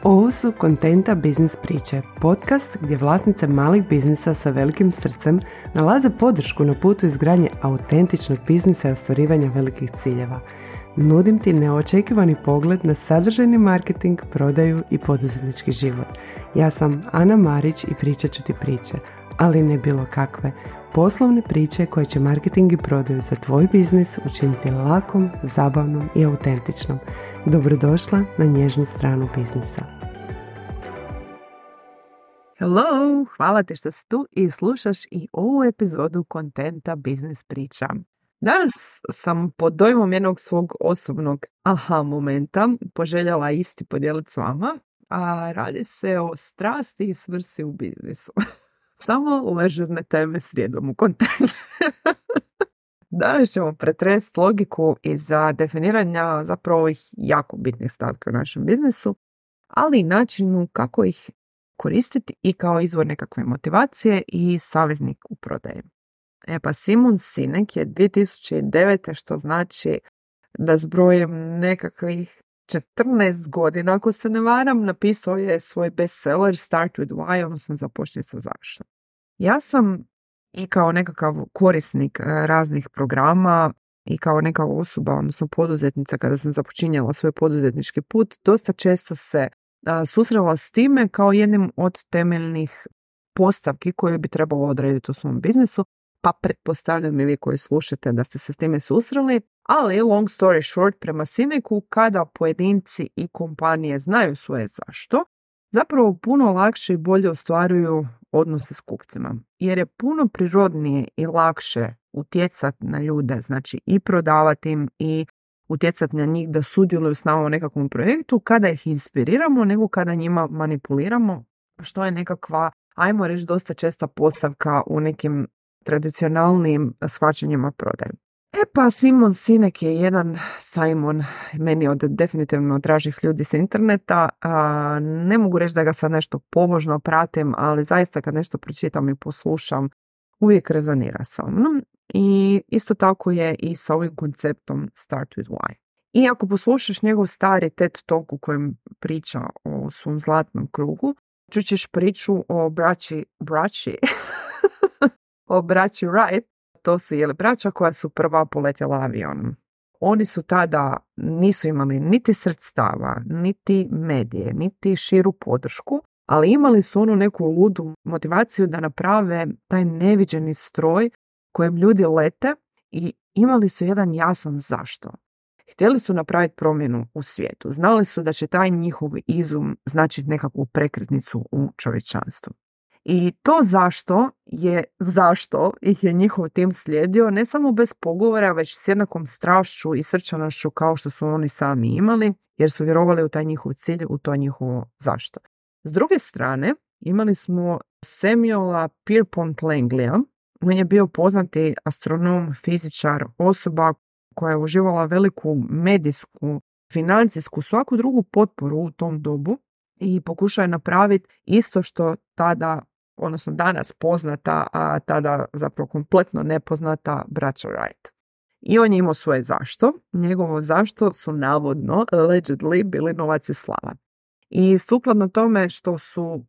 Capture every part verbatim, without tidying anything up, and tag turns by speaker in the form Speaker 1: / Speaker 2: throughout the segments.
Speaker 1: Ovo su Kontenta biznis priče, podcast gdje vlasnice malih biznisa sa velikim srcem nalaze podršku na putu izgradnje autentičnog biznisa i ostvarivanja velikih ciljeva. Nudim ti neočekivani pogled na sadržajni marketing, prodaju i poduzetnički život. Ja sam Ana Marić i pričat ću ti priče, ali ne bilo kakve. Poslovne priče koje će marketing i prodaju za tvoj biznis učiniti lakom, zabavnom i autentičnom. Dobrodošla na nježnu stranu biznisa. Hello, hvala ti što si tu i slušaš i ovu epizodu Kontenta biznis priča. Danas sam pod dojmom jednog svog osobnog aha momenta poželjela isti podijeliti s vama, a radi se o strasti i svrsi u biznisu. Samo ležerne teme srijedom u kontentu. Danas ćemo pretresti logiku iza definiranja zapravo ovih jako bitnih stavki u našem biznisu, ali i načinu kako ih koristiti i kao izvor nekakve motivacije i saveznik u prodaji. E pa Simon Sinek je dvije tisuće devete, što znači da zbrojem nekakvih četrnaest godina, ako se ne varam, napisao je svoj bestseller Start with Why, odnosno započni sa zašto. Ja sam i kao nekakav korisnik raznih programa i kao neka osoba, odnosno poduzetnica, kada sam započinjala svoj poduzetnički put, dosta često se a, susrela s time kao jednim od temeljnih postavki koje bi trebalo odrediti u svom biznisu, pa pretpostavljam i vi koji slušate da ste se s time susreli, ali long story short, prema Sineku, kada pojedinci i kompanije znaju svoje zašto, zapravo puno lakše i bolje ostvaruju odnose s kupcima. Jer je puno prirodnije i lakše utjecati na ljude, znači i prodavati im i utjecati na njih da sudjeluju s nama u nekakvom projektu kada ih inspiriramo nego kada njima manipuliramo, što je nekakva, ajmo reći, dosta česta postavka u nekim tradicionalnim shvaćanjima prodaje. E pa Simon Sinek je jedan Simon, meni od definitivno dražih ljudi s interneta. A, ne mogu reći da ga sad nešto pobožno pratim, ali zaista kad nešto pročitam i poslušam, uvijek rezonira sa mnom. I isto tako je i sa ovim konceptom Start with Why. I ako poslušaš njegov stari TED Talk u kojem priča o svom zlatnom krugu, čućeš priču o braći, braći, o braći Wright. To su jeli braća koja su prva poletjela avionom. Oni su tada nisu imali niti sredstava, niti medije, niti širu podršku, ali imali su onu neku ludu motivaciju da naprave taj neviđeni stroj kojem ljudi lete i imali su jedan jasan zašto. Htjeli su napraviti promjenu u svijetu. Znali su da će taj njihov izum značiti nekakvu prekretnicu u čovječanstvu. I to zašto je, zašto ih je njihov tim slijedio ne samo bez pogovora, već s jednakom strašću i srčanošću kao što su oni sami imali, jer su vjerovali u taj njihov cilj, u to njihovo zašto. S druge strane, imali smo Samuela Pierpont Langleya. On je bio poznati astronom, fizičar, osoba koja je uživala veliku medijsku, financijsku, svaku drugu potporu u tom dobu i pokušao je napraviti isto što tada, odnosno danas poznata, a tada zapravo kompletno nepoznata braća Wright. I on je imao svoje zašto. Njegovo zašto su navodno, allegedly, bili novac i slava. I sukladno tome što su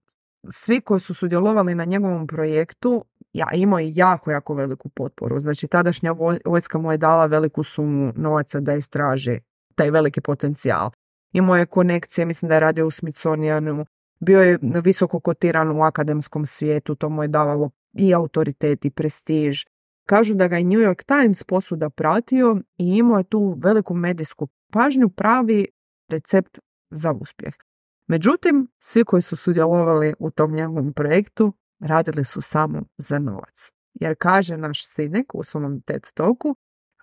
Speaker 1: svi koji su sudjelovali na njegovom projektu, ja imao je jako, jako veliku potporu. Znači, tadašnja vojska mu je dala veliku sumu novaca da istraži taj veliki potencijal. Imao je konekcije, mislim da je radio u Smithsonianu, bio je visoko kotiran u akademskom svijetu, to mu je davalo i autoritet i prestiž. Kažu da ga je New York Times posvuda pratio i imao je tu veliku medijsku pažnju, pravi recept za uspjeh. Međutim, svi koji su sudjelovali u tom njegovom projektu radili su samo za novac. Jer kaže naš Sinek u svom TED Talku,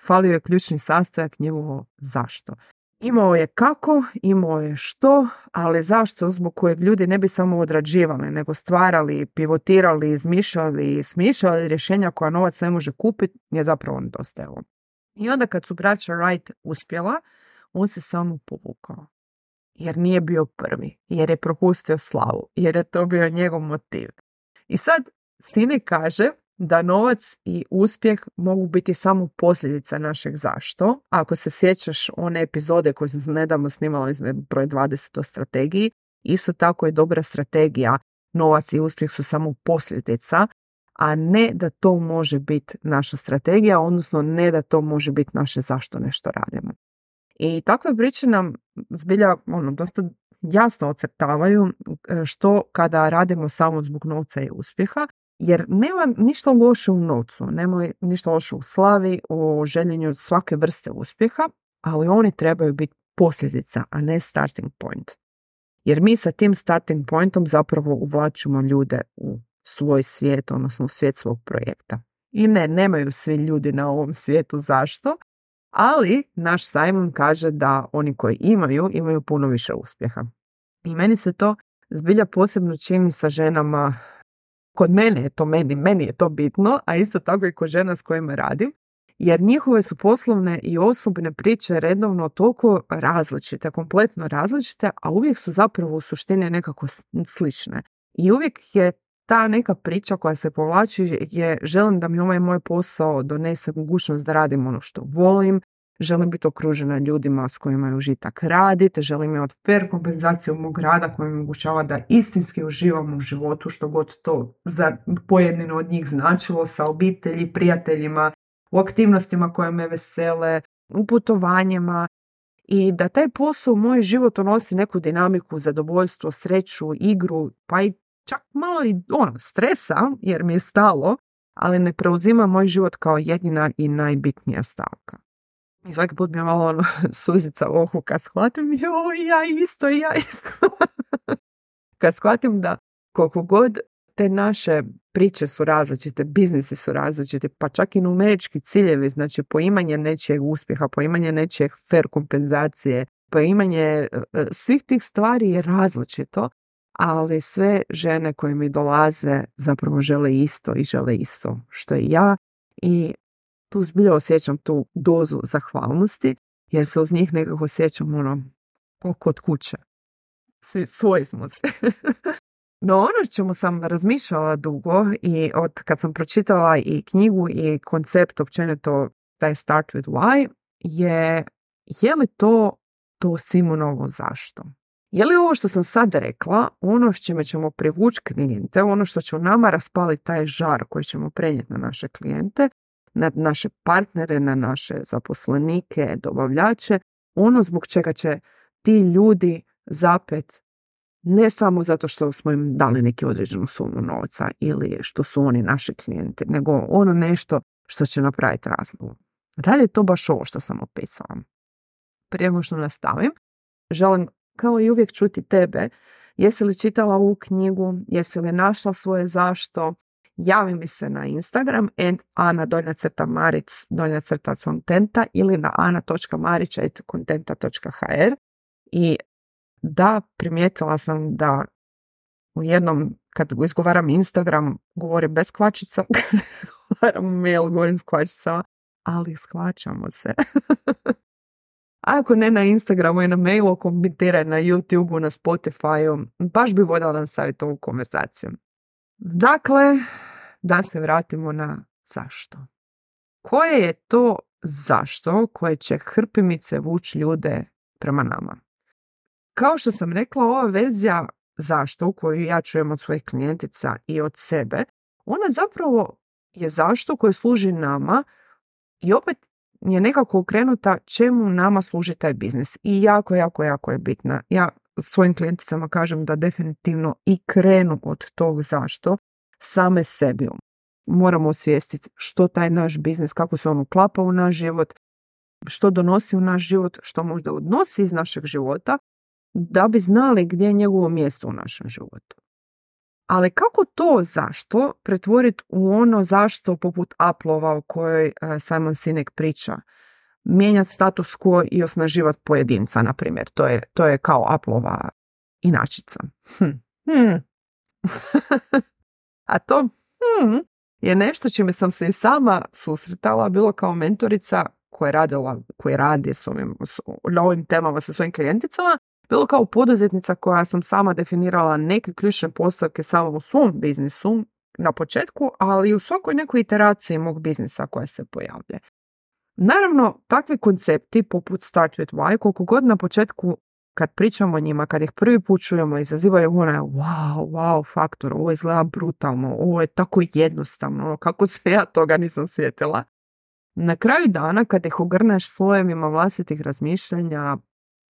Speaker 1: falio je ključni sastojak njegovo zašto. Imao je kako, imao je što, ali zašto zbog kojeg ljudi ne bi samo odrađivali, nego stvarali, pivotirali, izmišljali, smišljali rješenja koja novac ne može kupiti, je zapravo nedostajalo. I onda kad su braća Wright uspjela, on se samo povukao. Jer nije bio prvi, jer je propustio slavu, jer je to bio njegov motiv. I sad Sinek kaže da novac i uspjeh mogu biti samo posljedica našeg zašto. Ako se sjećaš one epizode koje sam nedavno snimala iz broj dvadeset o strategiji, Isto tako je dobra strategija, novac i uspjeh su samo posljedica, a ne da to može biti naša strategija, odnosno ne da to može biti naše zašto nešto radimo. I takve priče nam zbilja ono, dosta jasno ocrtavaju što kada radimo samo zbog novca i uspjeha, jer nema ništa loše u novcu, nema ništa loše u slavi, u željenju svake vrste uspjeha, ali oni trebaju biti posljedica, a ne starting point. Jer mi sa tim starting pointom zapravo uvlačimo ljude u svoj svijet, odnosno u svijet svog projekta. I ne, nemaju svi ljudi na ovom svijetu zašto, ali naš Simon kaže da oni koji imaju, imaju puno više uspjeha. I meni se to zbilja posebno čini sa ženama, kod mene je to meni, meni je to bitno, a isto tako i kod žena s kojima radim, jer njihove su poslovne i osobne priče redovno toliko različite, kompletno različite, a uvijek su zapravo u suštini nekako slične. I uvijek je ta neka priča koja se povlači je želim da mi ovaj moj posao donese mogućnost da radim ono što volim, želim biti okružena ljudima s kojima je užitak raditi, želim imati fair kompenzaciju mog rada koja mi omogućava da istinski uživam u životu, što god to za pojedino od njih značilo, sa obitelji, prijateljima, u aktivnostima koje me vesele, u putovanjima, i da taj posao u moj život unosi neku dinamiku, zadovoljstvo, sreću, igru, pa i čak malo i ono, stresa, jer mi je stalo, ali ne preuzima moj život kao jedina i najbitnija stavka. I svaki put mi je malo ono, suzica u oku kad shvatim, joj, ja isto, ja isto. Kad shvatim da koliko god te naše priče su različite, biznisi su različiti, pa čak i numerički ciljevi, znači poimanje nečijeg uspjeha, poimanje nečijeg fair kompenzacije, poimanje svih tih stvari je različito, ali sve žene koje mi dolaze zapravo žele isto i žele isto što i ja, i tu zbilja osjećam tu dozu zahvalnosti, jer se uz njih nekako osjećam ono, kod kuće. Svi, svoji smo se. No ono čemu sam razmišljala dugo i od kad sam pročitala i knjigu i koncept općenito taj Start with Why je, je li to to Simonovo zašto? Je li ovo što sam sad rekla ono s čime ćemo privući klijente, ono što će u nama raspaliti taj žar koji ćemo prenijeti na naše klijente, na naše partnere, na naše zaposlenike, dobavljače, ono zbog čega će ti ljudi zapet ne samo zato što smo im dali neki određenu sumu novca ili što su oni naši klijenti, nego ono nešto što će napraviti razliku. Da li je to baš ovo što sam opisala? Prije nego što nastavim, želim kao i uvijek čuti tebe. Jesi li čitala ovu knjigu? Jesi li našla svoje zašto? Javi mi se na Instagram and ana donja crta maric donja crta kontenta ili na ana točka marić at kontenta točka hr. I da, primijetila sam da u jednom, kad izgovaram Instagram, govorim bez kvačica, izgovaram mail, govorim s kvačicama, ali shvaćamo se. Ako ne na Instagramu i na mailu, komentiraj na YouTubeu, na Spotifyu, baš bi voljela nastaviti ovu konverzaciju. Dakle, da se vratimo na zašto. Koje je to zašto koje će hrpimice vući ljude prema nama? Kao što sam rekla, ova verzija zašto koju ja čujem od svojih klijentica i od sebe, ona zapravo je zašto koje služi nama i opet je nekako okrenuta čemu nama služi taj biznis. I jako, jako, jako je bitna. Ja svojim klijenticama kažem da definitivno i krenu od tog zašto same sebi. Moramo osvijestiti što taj naš biznis, kako se on uklapa u naš život, što donosi u naš život, što možda odnosi iz našeg života, da bi znali gdje je njegovo mjesto u našem životu. Ali kako to zašto pretvoriti u ono zašto poput Applova o kojoj Simon Sinek priča? Mijenjati status quo i osnaživati pojedinca, na primjer. To je, to je kao Applova inačica. Hm. Hm. A to hm, je nešto čime sam se i sama susretala, bilo kao mentorica koja je radila, koja radi s ovim, s, na ovim temama sa svojim klijenticama, bilo kao poduzetnica koja sam sama definirala neke ključne postavke samo u svom biznisu na početku, ali i u svakoj nekoj iteraciji mog biznisa koja se pojavlja. Naravno, takvi koncepti poput Start with Why, koliko god na početku kad pričamo o njima, kad ih prvi put čujemo, izazivaju onaj wow, wow faktor, ovo izgleda brutalno, ovo je tako jednostavno, kako sve ja toga nisam sjetila. Na kraju dana, kad ih ogrneš slojevima vlastitih razmišljanja,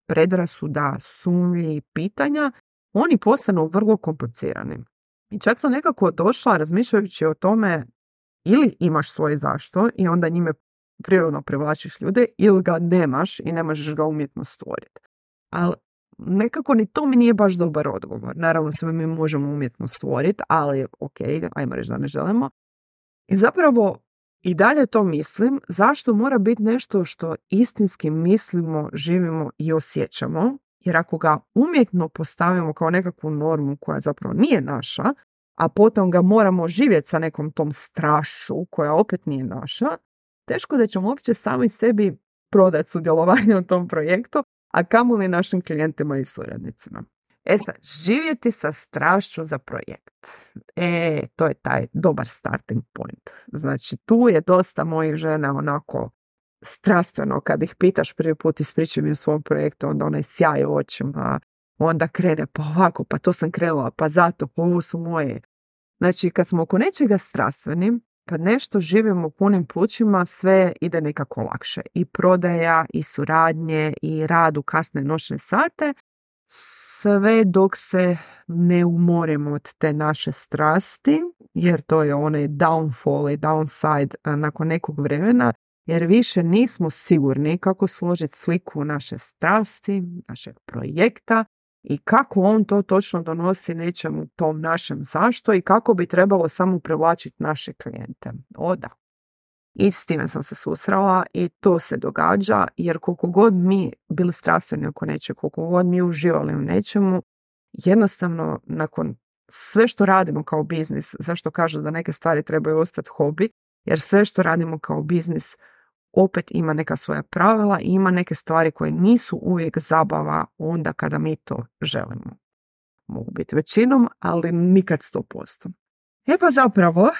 Speaker 1: predrasuda, sumnji i pitanja, oni postanu vrlo komplicirani. I čak sam nekako došla razmišljajući o tome ili imaš svoje zašto i onda njime prirodno privlačiš ljude, ili ga nemaš i ne možeš ga umjetno stvoriti. Ali nekako ni to mi nije baš dobar odgovor. Naravno, sve mi možemo umjetno stvoriti, ali ok, ajmo reći da ne želimo. I zapravo i dalje to mislim, zašto mora biti nešto što istinski mislimo, živimo i osjećamo, jer ako ga umjetno postavimo kao nekakvu normu koja zapravo nije naša, a potom ga moramo živjeti sa nekom tom strašću koja opet nije naša, teško da ćemo uopće sami sebi prodati sudjelovanje u tom projektu, a kamoli našim klijentima i suradnicima. E sad, živjeti sa strašću za projekt. E, to je taj dobar starting point. Znači, tu je dosta mojih žena onako strastveno, kad ih pitaš prvi put ispričaj mi o svom projektu, onda onaj sjaj u očima, onda krene pa ovako, pa to sam krenula, pa zato, pa ovo su moje. Znači, kad smo oko nečega strastveni, kad nešto živimo punim plućima, sve ide nekako lakše. I prodaja, i suradnje, i rad u kasne noćne sate, sve dok se ne umorimo od te naše strasti, jer to je onaj downfall i downside nakon nekog vremena, jer više nismo sigurni kako složiti sliku naše strasti, našeg projekta i kako on to točno donosi nečemu tom našem zašto i kako bi trebalo samo privlačiti naše klijente. O da. I s time sam se susrela i to se događa, jer koliko god mi bili strastveni oko nečeg, koliko god mi uživali u nečemu, jednostavno nakon sve što radimo kao biznis, zašto kažu da neke stvari trebaju ostati hobi, jer sve što radimo kao biznis opet ima neka svoja pravila i ima neke stvari koje nisu uvijek zabava onda kada mi to želimo. Mogu biti većinom, ali nikad sto posto. E pa zapravo,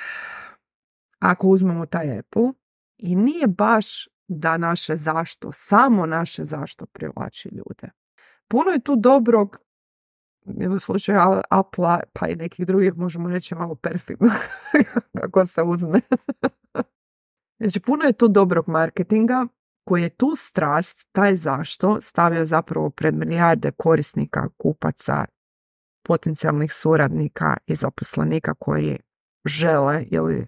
Speaker 1: ako uzmemo taj Apple, i nije baš da naše zašto, samo naše zašto privlači ljude. Puno je tu dobrog, u slučaju Apple, pa i nekih drugih možemo reći malo perfidno, kako se uzme. Znači, puno je tu dobrog marketinga koji je tu strast, taj zašto, stavio zapravo pred milijarde korisnika, kupaca, potencijalnih suradnika i zaposlenika koji žele ili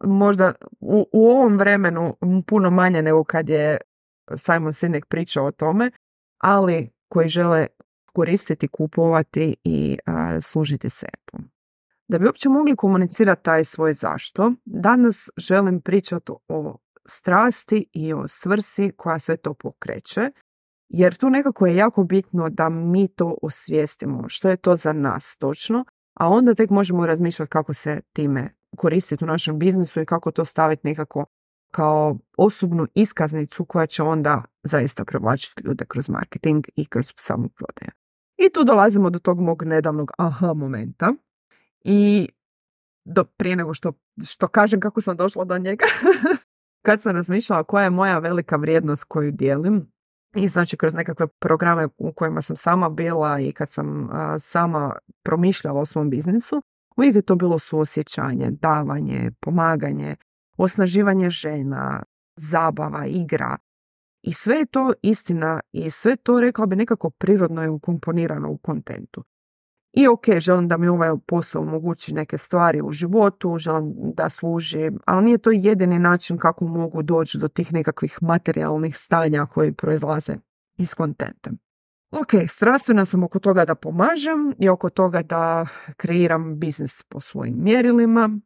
Speaker 1: možda u, u ovom vremenu puno manje nego kad je Simon Sinek pričao o tome, ali koji žele koristiti, kupovati i a, služiti se Apple. Da bi uopće mogli komunicirati taj svoj zašto, danas želim pričati o strasti i o svrsi koja sve to pokreće, jer tu nekako je jako bitno da mi to osvijestimo, što je to za nas točno, a onda tek možemo razmišljati kako se time koristiti u našem biznisu i kako to staviti nekako kao osobnu iskaznicu koja će onda zaista privlačiti ljude kroz marketing i kroz samu prodaju. I tu dolazimo do tog mog nedavnog aha momenta. I do, prije nego što, što kažem kako sam došla do njega, kad sam razmišljala koja je moja velika vrijednost koju dijelim, i znači kroz nekakve programe u kojima sam sama bila i kad sam a, sama promišljala o svom biznisu, uvijek je to bilo suosjećanje, davanje, pomaganje, osnaživanje žena, zabava, igra. I sve je to istina i sve to, rekla bi, nekako prirodno je ukomponirano u kontentu. I ok, želim da mi ovaj posao omogući neke stvari u životu, želim da služi, ali nije to jedini način kako mogu doći do tih nekakvih materijalnih stanja koji proizlaze iz kontenta. Ok, strastvena sam oko toga da pomažem i oko toga da kreiram biznis po svojim mjerilima,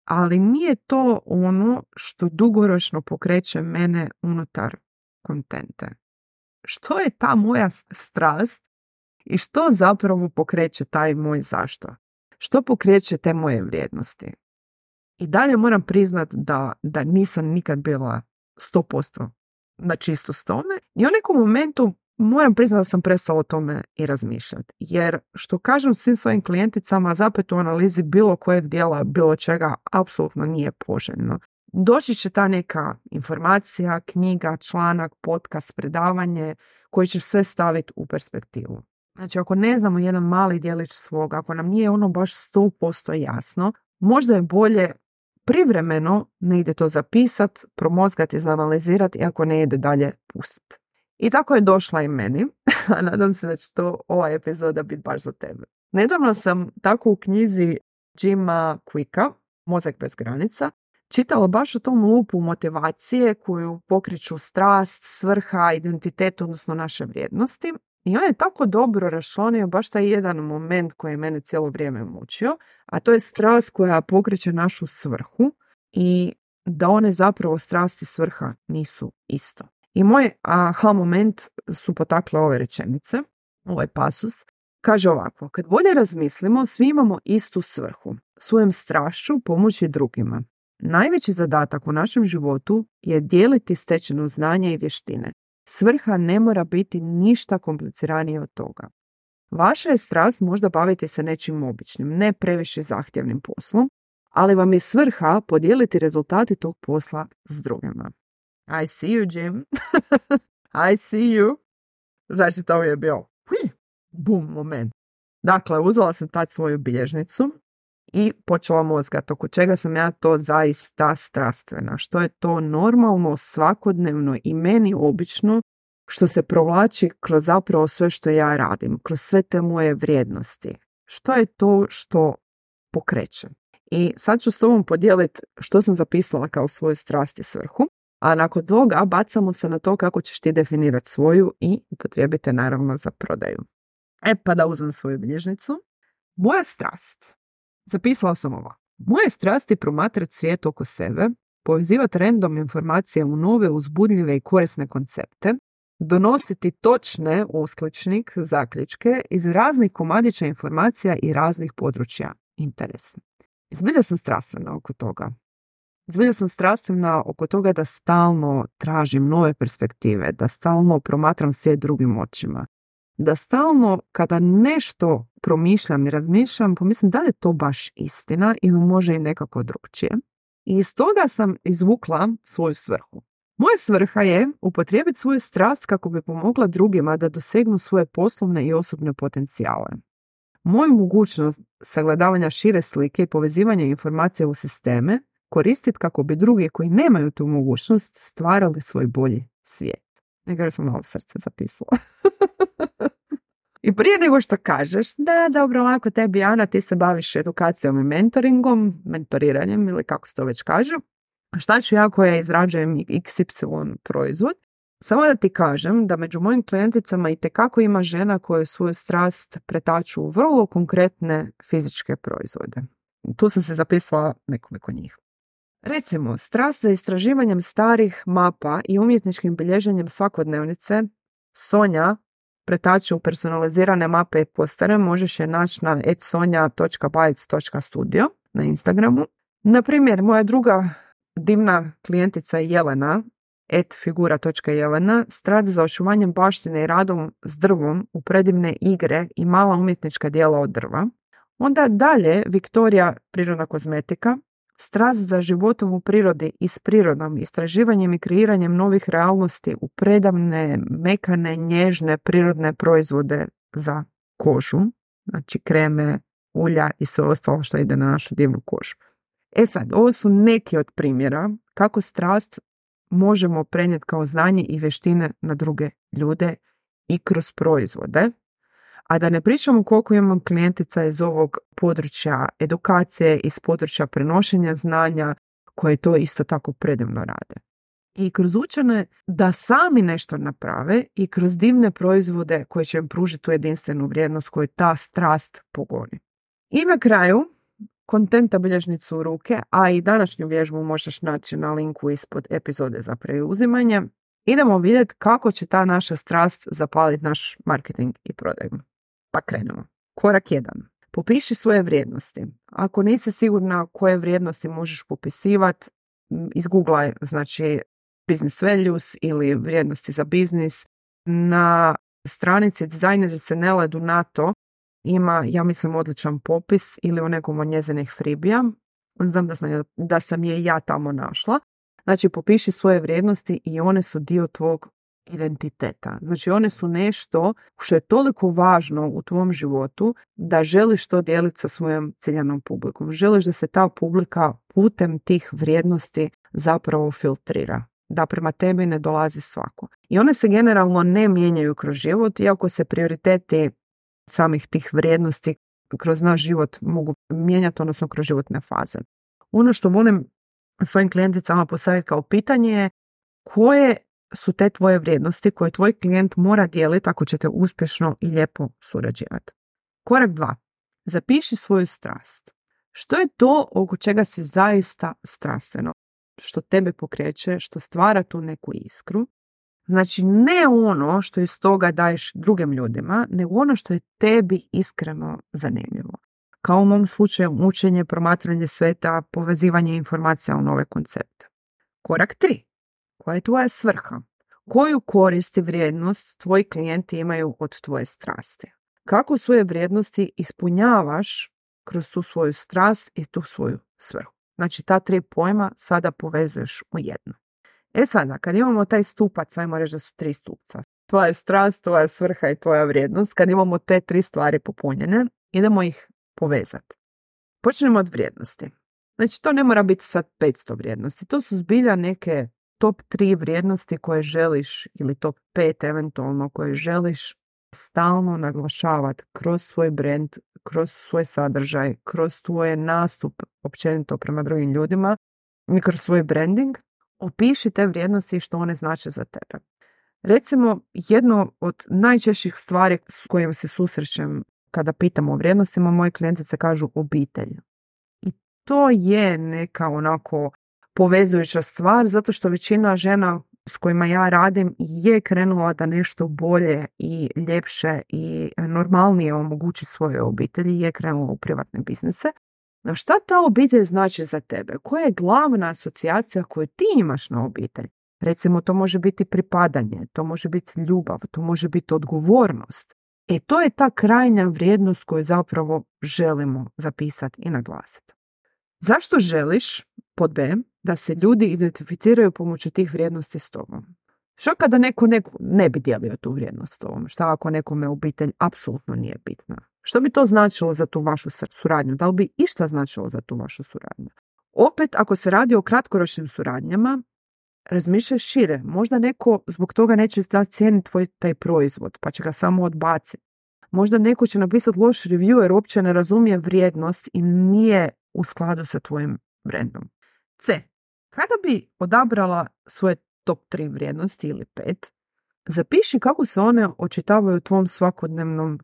Speaker 1: ali nije to ono što dugoročno pokreće mene unutar kontente. Što je ta moja strast i što zapravo pokreće taj moj zašto? Što pokreće te moje vrijednosti? I dalje moram priznat da, da nisam nikad bila sto posto na čisto s tome i u nekom momentu moram priznat da sam prestala o tome i razmišljati. Jer što kažem svim svojim klijenticama, zapet u analizi bilo kojeg dijela, bilo čega, apsolutno nije poželjno. Doći će ta neka informacija, knjiga, članak, podcast, predavanje koji će sve staviti u perspektivu. Znači, ako ne znamo jedan mali djelić svog, ako nam nije ono baš sto posto jasno, možda je bolje privremeno negdje to zapisati, promozgati, izanalizirati i ako ne ide dalje pustiti. I tako je došla i meni, a nadam se da će to ova epizoda biti baš za tebe. Nedavno sam tako u knjizi Jima Quicka, Mozak bez granica, čitala baš o tom lupu motivacije koju pokreću strast, svrha, identitet, odnosno naše vrijednosti. I on je tako dobro raščlanio baš taj jedan moment koji je mene cijelo vrijeme mučio, a to je strast koja pokreće našu svrhu i da one zapravo strast i svrha nisu isto. I moj aha moment su potakle ove rečenice, ovaj pasus. Kaže ovako, kad bolje razmislimo, svi imamo istu svrhu, svojom strašću pomoći drugima. Najveći zadatak u našem životu je dijeliti stečeno znanje i vještine. Svrha ne mora biti ništa kompliciranije od toga. Vaša je strast možda baviti se nečim običnim, ne previše zahtjevnim poslom, ali vam je svrha podijeliti rezultati tog posla s drugima. I see you, Jim. I see you. Znači, to je bio bum moment. Dakle, uzela sam tad svoju bilježnicu i počela mozgat oko čega sam ja to zaista strastvena. Što je to normalno, svakodnevno i meni obično što se provlači kroz zapravo sve što ja radim, kroz sve te moje vrijednosti. Što je to što pokreće? I sad ću s tobom podijeliti što sam zapisala kao svoju strast i svrhu, a nakon toga bacamo se na to kako ćeš ti definirati svoju i upotrijebite naravno za prodaju. E pa da uzmem svoju bilježnicu. Moja strast. Zapisala sam ovo. Moje strasti promatrati svijet oko sebe, povezivati random informacije u nove, uzbudljive i korisne koncepte, donositi točne uskličnik, zaključke iz raznih komadića informacija i raznih područja interesa. Zbilja sam strastvena oko toga. Zbilja sam strastvena oko toga da stalno tražim nove perspektive, da stalno promatram svijet drugim očima. Da stalno kada nešto promišljam i razmišljam, pomislim da li je to baš istina ili može i nekako drugčije. I iz toga sam izvukla svoju svrhu. Moja svrha je upotrijebiti svoju strast kako bi pomogla drugima da dosegnu svoje poslovne i osobne potencijale. Moju mogućnost sagledavanja šire slike i povezivanja informacija u sisteme koristiti kako bi drugi koji nemaju tu mogućnost stvarali svoj bolji svijet. Nego sam malo srce zapisala. I prije nego što kažeš, da, dobro, lako tebi, Ana, ti se baviš edukacijom i mentoringom, mentoriranjem ili kako se to već kaže, šta ću ja koja izrađujem iks ipsilon proizvod? Samo da ti kažem da među mojim klijenticama itekako ima žena koje svoju strast pretaču u vrlo konkretne fizičke proizvode. Tu sam se zapisala nekoliko njih. Recimo, strast za istraživanjem starih mapa i umjetničkim bilježenjem svakodnevnice Sonja pretače u personalizirane mape i postere. Možeš je naći na et sonja točka bytes točka studio na Instagramu. Na primjer, moja druga divna klijentica Jelena, et figura točka jelena, strast za očuvanjem baštine i radom s drvom u predivne igre i mala umjetnička djela od drva. Onda dalje Viktorija, prirodna kozmetika, strast za životom u prirodi i s prirodom, istraživanjem i kreiranjem novih realnosti u predavne, mekane, nježne, prirodne proizvode za kožu, znači kreme, ulja i sve ostalo što ide na našu divnu kožu. E sad, ovo su neki od primjera kako strast možemo prenijeti kao znanje i vještine na druge ljude i kroz proizvode. A da ne pričamo koliko imam klijentica iz ovog područja edukacije, iz područja prenošenja znanja, koje to isto tako predivno rade. I kroz učene da sami nešto naprave i kroz divne proizvode koje će im pružiti tu jedinstvenu vrijednost koju ta strast pogoni. I na kraju, kontenta bilježnicu u ruke, a i današnju vježbu možeš naći na linku ispod epizode za preuzimanje. Idemo vidjeti kako će ta naša strast zapaliti naš marketing i prodaju. Pa krenemo. Korak jedan. Popiši svoje vrijednosti. Ako nisi sigurna koje vrijednosti možeš popisivati, izgooglaj, znači business values ili vrijednosti za biznis. Na stranici dizajnerice Nele Donato ima, ja mislim, odličan popis ili u nekom od njezinih freebija. Znam da sam, da sam je ja tamo našla. Znači, popiši svoje vrijednosti i one su dio tvog identiteta. Znači one su nešto što je toliko važno u tvom životu da želiš to dijeliti sa svojom ciljanom publikom. Želiš da se ta publika putem tih vrijednosti zapravo filtrira. Da prema tebi ne dolazi svako. I one se generalno ne mijenjaju kroz život, iako se prioriteti samih tih vrijednosti kroz naš život mogu mijenjati, odnosno kroz životne faze. Ono što volim svojim klijenticama postaviti kao pitanje je koje su te tvoje vrijednosti koje tvoj klijent mora dijeliti ako ćete uspješno i lijepo surađivati. Korak dva. Zapiši svoju strast. Što je to oko čega si zaista strastveno? Što tebe pokreće, što stvara tu neku iskru. Znači ne ono što iz toga daješ drugim ljudima, nego ono što je tebi iskreno zanimljivo. Kao u mom slučaju učenje, promatranje sveta, povezivanje informacija u nove koncepte. Korak tri. Koja je tvoja svrha? Koju korist i vrijednost tvoji klijenti imaju od tvoje strasti? Kako svoje vrijednosti ispunjavaš kroz tu svoju strast i tu svoju svrhu? Znači ta tri pojma sada povezuješ u jedno. E sada, kad imamo taj stupac, ajmo reći da su tri stupca. Tvoja strast, tvoja svrha i tvoja vrijednost. Kad imamo te tri stvari popunjene, idemo ih povezati. Počnemo od vrijednosti. Znači to ne mora biti sad petsto vrijednosti. To su zbilja neke top tri vrijednosti koje želiš ili top pet eventualno koje želiš stalno naglašavati kroz svoj brand, kroz svoj sadržaj, kroz tvoj nastup općenito prema drugim ljudima i kroz svoj branding. Opiši te vrijednosti i što one znače za tebe. Recimo, jedno od najčešćih stvari s kojim se susrećem kada pitamo o vrijednostima, moji klijentice kažu obitelj. I to je neka onako povezujuća stvar, zato što većina žena s kojima ja radim je krenula da nešto bolje i ljepše i normalnije omogući svojoj obitelji, je krenula u privatne biznise. No šta ta obitelj znači za tebe? Koja je glavna asocijacija koju ti imaš na obitelj? Recimo, to može biti pripadanje, to može biti ljubav, to može biti odgovornost. E to je ta krajnja vrijednost koju zapravo želimo zapisati i naglasiti. Zašto želiš, pod B, da se ljudi identificiraju pomoću tih vrijednosti s tobom? Što kada neko, neko ne bi dijelio tu vrijednost s tobom? Šta ako nekome obitelj apsolutno nije bitna? Što bi to značilo za tu vašu suradnju? Da li bi išta značilo za tu vašu suradnju? Opet, ako se radi o kratkoročnim suradnjama, razmišljaj šire. Možda neko zbog toga neće da cijeni tvoj taj proizvod, pa će ga samo odbaciti. Možda neko će napisati loš review jer uopće ne razumije vrijednost i nije u skladu sa tvojim brandom. C. Kada bi odabrala svoje top tri vrijednosti ili pet, zapiši kako se one očitavaju u tvom svakodnevnom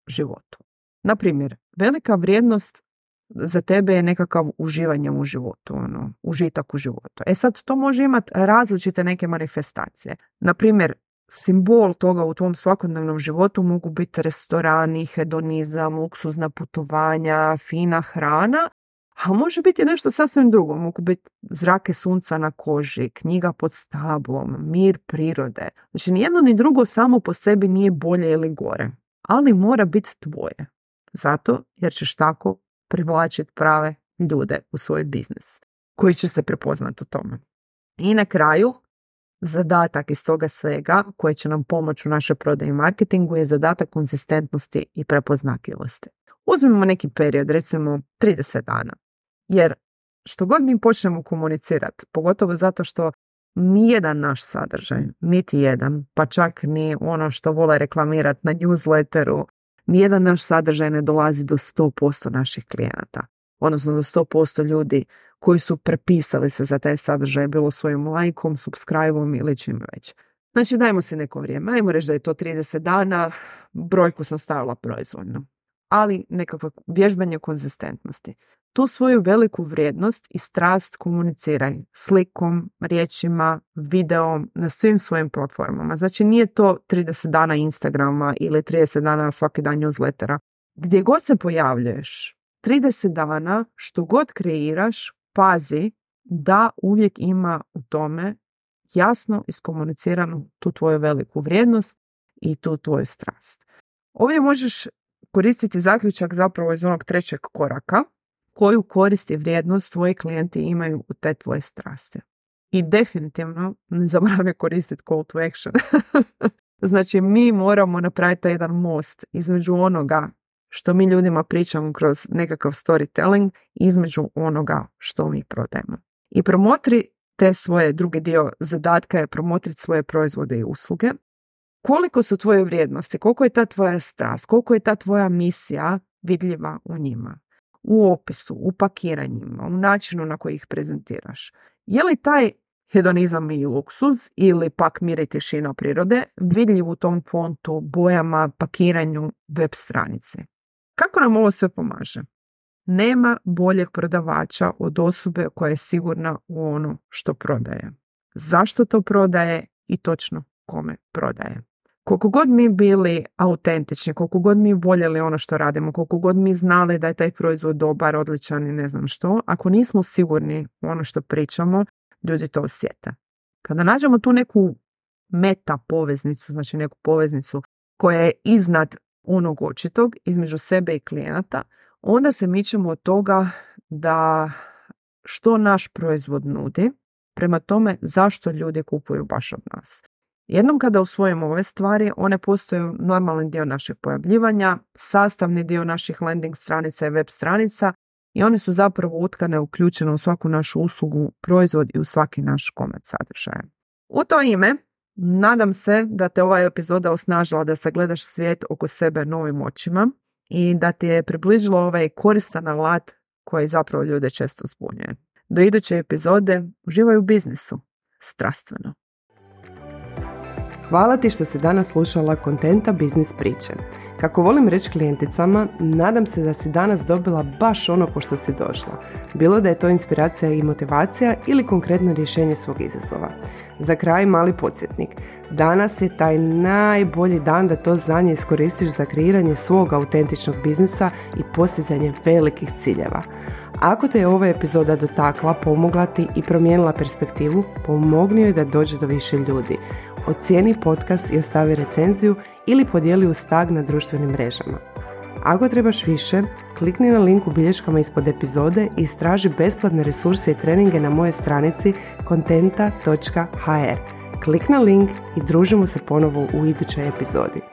Speaker 1: životu. Na primjer, velika vrijednost za tebe je nekakav uživanje u životu, ono, užitak u životu. E sad, to može imati različite neke manifestacije. Na primjer, simbol toga u tvom svakodnevnom životu mogu biti restorani, hedonizam, luksuzna putovanja, fina hrana, a može biti nešto sasvim drugo. Mogu biti zrake sunca na koži, knjiga pod stablom, mir prirode. Znači, ni jedno ni drugo samo po sebi nije bolje ili gore, ali mora biti tvoje. Zato jer ćeš tako privlačiti prave ljude u svoj biznis koji će se prepoznati u tome. I na kraju, zadatak iz toga svega koji će nam pomoći u našoj prodaji i marketingu je zadatak konzistentnosti i prepoznatljivosti. Uzmimo neki period, recimo trideset dana. Jer što god mi počnemo komunicirati, pogotovo zato što nijedan naš sadržaj, niti jedan, pa čak ni ono što vole reklamirati na newsletteru, nijedan naš sadržaj ne dolazi do sto posto naših klijenata. Odnosno do sto posto ljudi koji su prepisali se za taj sadržaj, bilo svojim lajkom, subscribe-om ili čim već. Znači dajmo si neko vrijeme, ajmo reći da je to trideset dana, brojku sam stavila proizvoljno. Ali nekakvo vježbanje konzistentnosti. Tu svoju veliku vrijednost i strast komuniciraj slikom, riječima, videom, na svim svojim platformama. Znači nije to trideset dana Instagrama ili trideset dana svaki dan newslettera. Gdje god se pojavljuješ, trideset dana, što god kreiraš, pazi da uvijek ima u tome jasno iskomuniciranu tu tvoju veliku vrijednost i tu tvoju strast. Ovdje možeš koristiti zaključak zapravo iz onog trećeg koraka, koju korist i vrijednost tvoji klijenti imaju u te tvoje strasti. i definitivno ne zaboravljaj koristiti call to action. Znači, mi moramo napraviti taj jedan most između onoga što mi ljudima pričamo kroz nekakav storytelling, između onoga što mi prodajemo. I promotri te svoje, drugi dio zadatka je promotriti svoje proizvode i usluge. Koliko su tvoje vrijednosti, koliko je ta tvoja strast, koliko je ta tvoja misija vidljiva u njima, u opisu, u pakiranjima, u načinu na koji ih prezentiraš. Je li taj hedonizam i luksuz ili pak mir i tišina prirode vidljiv u tom fontu, bojama, pakiranju, web stranice? Kako nam ovo sve pomaže? Nema boljeg prodavača od osobe koja je sigurna u ono što prodaje. Zašto to prodaje i točno kome prodaje. Koliko god mi bili autentični, koliko god mi voljeli ono što radimo, koliko god mi znali da je taj proizvod dobar, odličan i ne znam što, ako nismo sigurni u ono što pričamo, ljudi to osjete. Kada nađemo tu neku meta poveznicu, znači neku poveznicu koja je iznad onog očitog, između sebe i klijenata, onda se mičemo od toga da što naš proizvod nudi, prema tome zašto ljudi kupuju baš od nas. Jednom kada usvojimo ove stvari, one postaju normalni dio našeg pojavljivanja, sastavni dio naših landing stranica i web stranica i one su zapravo utkane, uključene u svaku našu uslugu, proizvod i u svaki naš komad sadržaja. U to ime, nadam se da te ova epizoda osnažila da sagledaš svijet oko sebe novim očima i da ti je približilo ovaj koristan alat koji zapravo ljude često zbunjuje. Do iduće epizode, uživaj u biznisu. Strastveno.
Speaker 2: Hvala ti što si danas slušala Kontenta biznis priče. Kako volim reći klijenticama, nadam se da si danas dobila baš ono po što si došla. Bilo da je to inspiracija i motivacija ili konkretno rješenje svog izazova. Za kraj mali podsjetnik. Danas je taj najbolji dan da to znanje iskoristiš za kreiranje svog autentičnog biznisa i postizanje velikih ciljeva. Ako te je ova epizoda dotakla, pomogla ti i promijenila perspektivu, pomogni joj da dođe do više ljudi. Ocijeni podcast i ostavi recenziju ili podijeli uz tag na društvenim mrežama. Ako trebaš više, klikni na link u bilješkama ispod epizode i istraži besplatne resurse i treninge na mojoj stranici kontenta točka ha er. Klik na link i družimo se ponovo u idućoj epizodi.